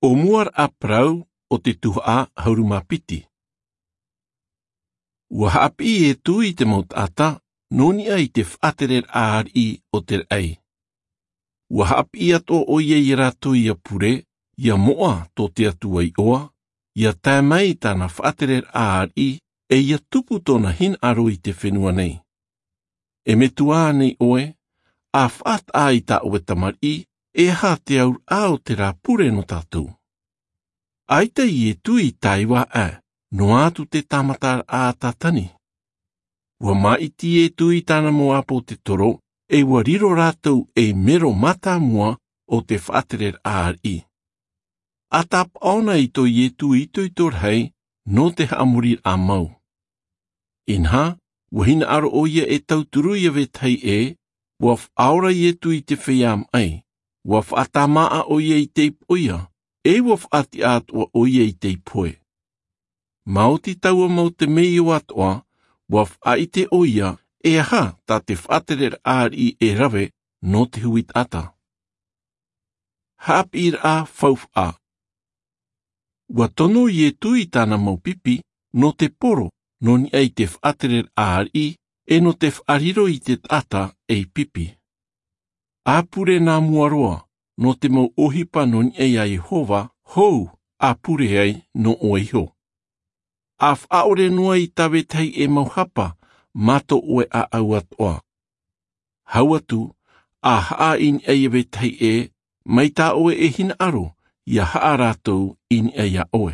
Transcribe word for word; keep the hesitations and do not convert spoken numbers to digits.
ʻO mua raʻa parau o te tuhaʻa ʻahuru mā piti. Ua haʻapiʻi iesu i te mau taʻata nō niʻa i te faʻatereraʻa ariʻi o te raʻi. Ua haʻapiʻi atoʻa ʻo ia iā rātou ia pure, ia moʻa tō te atua iʻoa, ia tae mai i tāna faʻatereraʻa ariʻi, ʻe ia tupu tōna hinaʻaro i te fenua nei. E metua ānei ʻoe? A faʻataʻa i tā ʻoe tamariʻi, e aha te auraʻa o te rā pure nō tātou? ʻAita iesu i tae i vāʻa, noa atu te tāmataraʻa a tātani. Ua māʻiti iesu i tāna mau ʻāpōsetolo, ʻe ua riro rātou ei mero mātāmua o te faʻatereraʻa ariʻi. A tāpaʻo na i tō iesu itoito rahi nō te haʻamoriraʻa mau. Inaha, ua hinaʻaro ʻo ia e tauturu iā vetahi ʻē, ua faʻaora iesu i te feiā maʻi, ua faʻatāmāʻa ʻo ia i te ipo ia, ʻe ua faʻatiʻa atoʻa ʻo ia i te ipo ē. Māoti taua mau temeio atoʻa, ua faʻaʻite ʻo ia e aha tā te faʻatereraʻa ariʻi e rave nō te hui taʻata. Haʻapiʻiraʻa faufaʻa. Ua tono iesu i tāna mau pipi nō te poro nō niʻa i te faʻatereraʻa ariʻi, ʻe nō te faʻariro i te taʻata ei pipi. A pure nā mua roa nō te mau ʻohipa nō niʻa iā iehova hou a pure ai nō ʻoe iho. A faʻaʻore noa i tā vetahi ʻē mau hapa mā tō ʻoe ʻāʻau atoʻa. Hau atu, a haʻa i niʻa iā vetahi ʻē, mai tā ʻoe e hinaʻaro ia haʻa rātou i niʻa iā ʻoe.